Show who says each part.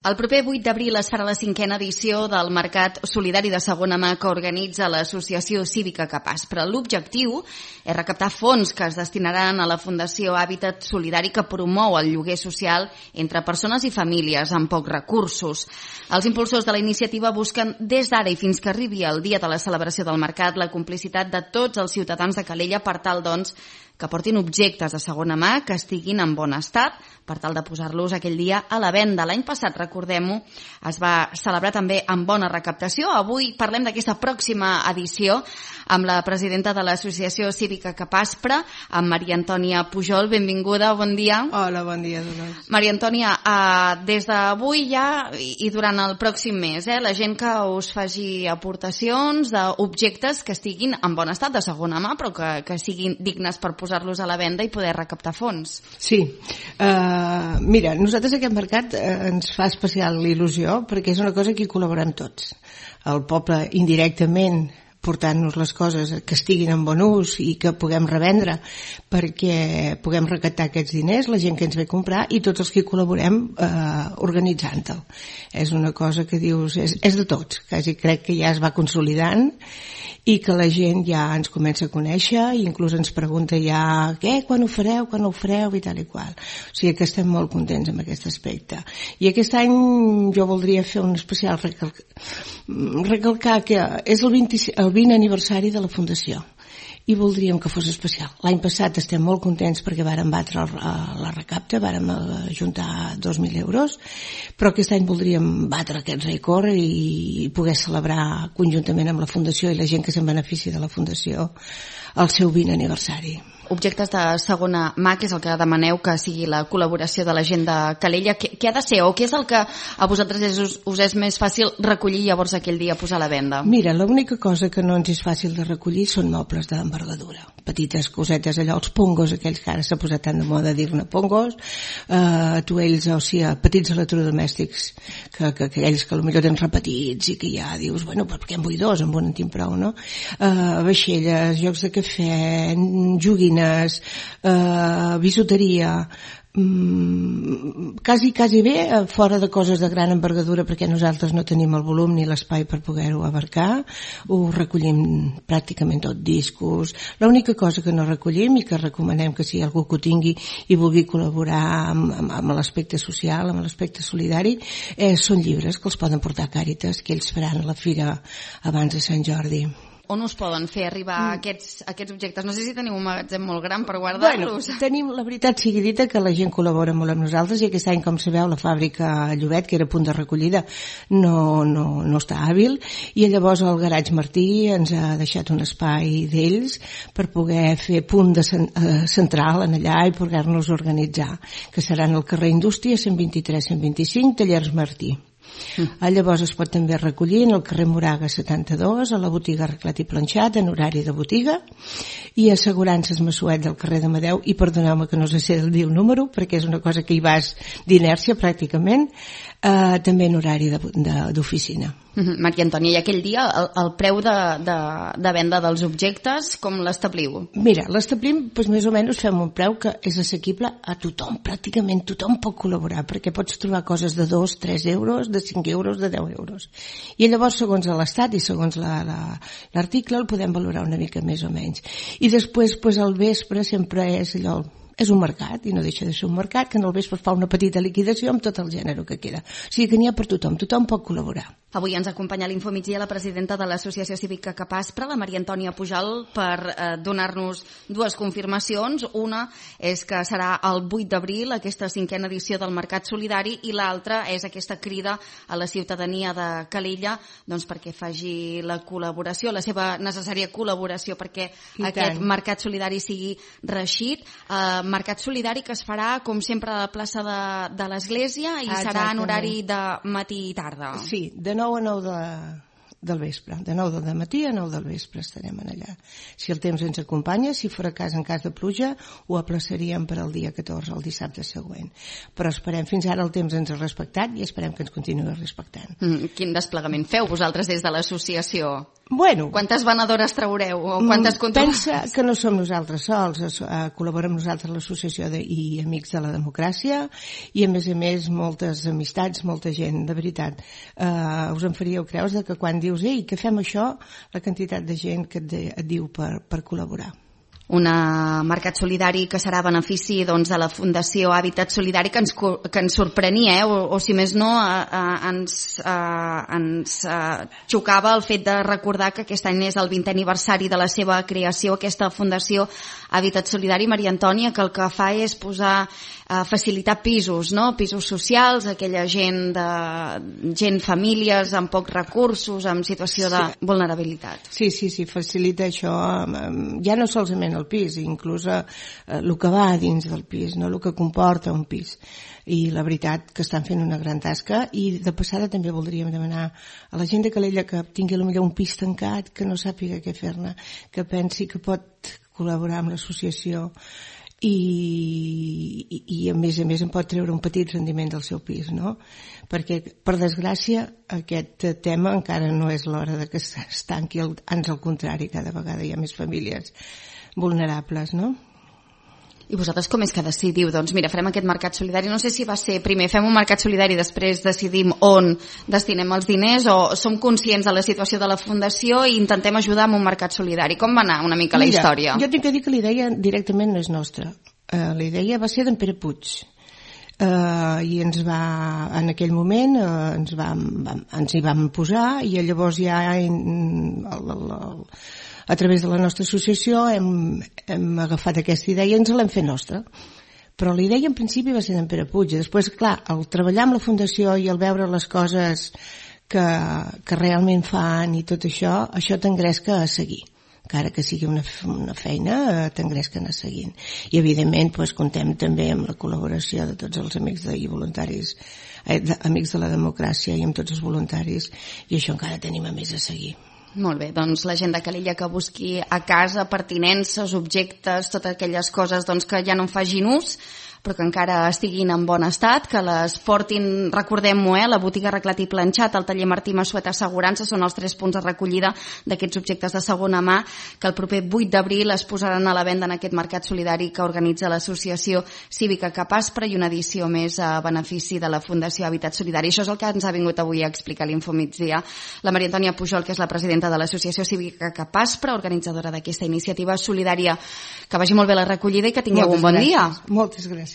Speaker 1: El proper 8 d'abril es farà la 5a edició del Mercat Solidari de Segona Mà que organitza l'Associació Cívica Capaç. Però l'objectiu és recaptar fons que es destinaran a la Fundació Hàbitat Solidari que promou el lloguer social entre persones i famílies amb pocs recursos. Els impulsors de la iniciativa busquen des d'ara i fins que arribi el dia de la celebració del mercat la complicitat de tots els ciutadans de Calella per tal, doncs, que portin objectes de segona mà que estiguin en bon estat per tal de posar-los aquell dia a la venda. L'any passat, recordem-ho, es va celebrar també amb bona recaptació. Avui parlem d'aquesta pròxima edició amb la presidenta de l'Associació Cívica Capaspra, amb Maria Antònia Pujol. Benvinguda, bon dia.
Speaker 2: Hola, bon dia, Dolors.
Speaker 1: Maria Antònia, des d'avui ja i durant el pròxim mes, la gent que us faci aportacions d'objectes que estiguin en bon estat de segona mà, però que siguin dignes per posar-los a la venda i poder recaptar fons.
Speaker 2: Sí, mira, nosaltres aquest mercat ens fa especial il·lusió perquè és una cosa que hi col·laborem tots. El poble indirectament portant-nos les coses que estiguin en bon ús i que puguem revendre perquè puguem recaptar aquests diners, la gent que ens ve a comprar i tots els que hi col·laborem organitzant-el. És una cosa que dius, és de tots, quasi crec que ja es va consolidant i que la gent ja ens comença a conèixer i inclús ens pregunta ja quan ho fareu i tal i qual. O sigui que estem molt contents amb aquest aspecte. I aquest any jo voldria fer un especial recalcar que és el 20 aniversari de la Fundació i voldríem que fos especial. L'any passat estem molt contents perquè vàrem batre la recapta, vàrem ajuntar 2.000 euros, però aquest any voldríem batre aquest rècord i poder celebrar conjuntament amb la Fundació i la gent que se'n beneficia de la Fundació el seu 20 aniversari.
Speaker 1: Objectes de segona mà, que és el que demaneu que sigui la col·laboració de la gent de Calella, què ha de ser o què és el que a vosaltres us és més fàcil recollir llavors aquell dia posar a la venda?
Speaker 2: Mira, l'única cosa que no ens és fàcil de recollir són mobles d'envergadura, petites cosetes, allò, els pongos, aquells que ara s'ha posat tan de moda dir-ne pongos, atuells, o sigui, petits electrodomèstics, que aquells que potser tens repetits i que ja dius, bueno, per què en vull dos, en un en tinc prou, no? Vaixelles, jocs de cafè, joguines, bisuteria, quasi bé fora de coses de gran envergadura perquè nosaltres no tenim el volum ni l'espai per poder-ho abarcar. Ho recollim pràcticament tot, discos. L'única cosa que no recollim i que recomanem que si algú que ho tingui i vulgui col·laborar amb l'aspecte social, amb l'aspecte solidari, són llibres que els poden portar a Càritas, que ells faran a la fira abans de Sant Jordi.
Speaker 1: On us poden fer arribar aquests objectes? No sé si teniu un magatzem molt gran per guardar-los.
Speaker 2: Bueno, tenim, la veritat sigui dita, que la gent col·labora molt amb nosaltres i aquest any, com sabeu, la fàbrica Llobet, que era punt de recollida, no està hàbil i llavors el Garatge Martí ens ha deixat un espai d'ells per poder fer punt central en allà i poder-nos organitzar, que seran al carrer Indústria 123-125, Tallers Martí. Llavors es pot també recollir en el carrer Moraga 72, a la botiga Arreglat i Planxat, en horari de botiga, i assegurances Massuet del carrer d'Amadeu, i perdoneu-me que no sé dir el número perquè és una cosa que hi vas d'inèrcia pràcticament, també en horari d'oficina.
Speaker 1: Maria Antònia, i aquell dia el preu de venda dels objectes com l'establiu?
Speaker 2: Mira, l'establim més o menys fem un preu que és assequible a tothom, pràcticament tothom pot col·laborar perquè pots trobar coses de 2, 3 euros, de 5 euros, de 10 euros i llavors segons l'estat i segons l'article el podem valorar una mica més o menys i després al vespre sempre és allò, és un mercat i no deixa de ser un mercat que en el vespre fa una petita liquidació amb tot el gènere que queda, o sigui que n'hi ha per tothom pot col·laborar.
Speaker 1: Avui ens acompanya a l'Infomigdia la presidenta de l'Associació Cívica Capaspra, la Maria Antònia Pujol, per donar-nos dues confirmacions. Una és que serà el 8 d'abril aquesta 5a edició del Mercat Solidari i l'altra és aquesta crida a la ciutadania de Calella doncs perquè faci la col·laboració, la seva necessària col·laboració perquè aquest Mercat Solidari sigui reeixit. Mercat Solidari que es farà, com sempre, a la plaça de l'Església i serà en horari de matí i tarda.
Speaker 2: Sí, de 9 a 9 del vespre, de 9 del matí a 9 del vespre estarem allà. Si el temps ens acompanya, si fora cas en cas de pluja, ho aplaçaríem per al dia 14, el dissabte següent. Però esperem, fins ara el temps ens ha respectat i esperem que ens continuï respectant.
Speaker 1: Quin desplegament feu vosaltres des de l'associació?
Speaker 2: Bueno,
Speaker 1: quantes venedores traureu? O quantes
Speaker 2: pensa que no som nosaltres sols, col·laborem nosaltres l'Associació i Amics de la Democràcia i a més moltes amistats, molta gent, de veritat. Us en faríeu creus que quan dius ei, que fem això, la quantitat de gent que et diu per col·laborar.
Speaker 1: Un mercat solidari que serà a benefici de la Fundació Hàbitat Solidari, que ens sorprenia, o si més no ens xocava el fet de recordar que aquest any és el 20è aniversari de la seva creació, aquesta Fundació Hàbitat Solidari. Maria Antònia, que el que fa és facilitar pisos, no? Pisos socials, aquella gent, famílies amb pocs recursos, en situació de vulnerabilitat.
Speaker 2: Sí, facilita això, ja no solament el pis, inclús el que va dins del pis, no? El que comporta un pis. I la veritat que estan fent una gran tasca, i de passada també voldríem demanar a la gent de Calella que tingui potser un pis tancat, que no sàpiga què fer-ne, que pensi que pot col·laborar amb l'associació i a més en pot treure un petit rendiment del seu pis, no? Perquè, per desgràcia, aquest tema encara no és l'hora de que es tanqui, ans al contrari, cada vegada hi ha més famílies vulnerables, no?
Speaker 1: I vosaltres com és que decidiu? Doncs mira, farem aquest mercat solidari. No sé si va ser primer fem un mercat solidari i després decidim on destinem els diners, o som conscients de la situació de la Fundació i intentem ajudar amb un mercat solidari. Com va anar una mica la història?
Speaker 2: Jo tinc que dir que la idea directament no és nostra. La idea va ser d'en Pere Puig. I en aquell moment ens hi vam posar, i llavors ja a través de la nostra associació hem agafat aquesta idea i ens l'hem fet nostra. Però la idea en principi va ser d'en Pere Puig. Després, clar, al treballar amb la Fundació i al veure les coses que realment fan i tot això t'engresca a seguir. Encara que sigui una feina, t'engresquen a seguint. I, evidentment, comptem també amb la col·laboració de tots els amics i voluntaris, amics de la democràcia, i amb tots els voluntaris, i això encara tenim a més a seguir.
Speaker 1: Molt bé, doncs la gent de Calella que busqui a casa pertinences, objectes, totes aquelles coses que ja no en facin ús, però que encara estiguin en bon estat, que les portin, recordem-ho, la botiga Arreglat i Planxat, el taller Martí Massuet Assegurança, són els 3 punts de recollida d'aquests objectes de segona mà, que el proper 8 d'abril es posaran a la venda en aquest mercat solidari que organitza l'Associació Cívica Capaspra, i una edició més a benefici de la Fundació Hàbitat Solidari. Això és el que ens ha vingut avui a explicar a l'Infomigdia la Maria Antònia Pujol, que és la presidenta de l'Associació Cívica Capaspra, organitzadora d'aquesta iniciativa solidària. Que vagi molt bé la recollida i que tingueu un bon dia.
Speaker 2: Moltes gràcies.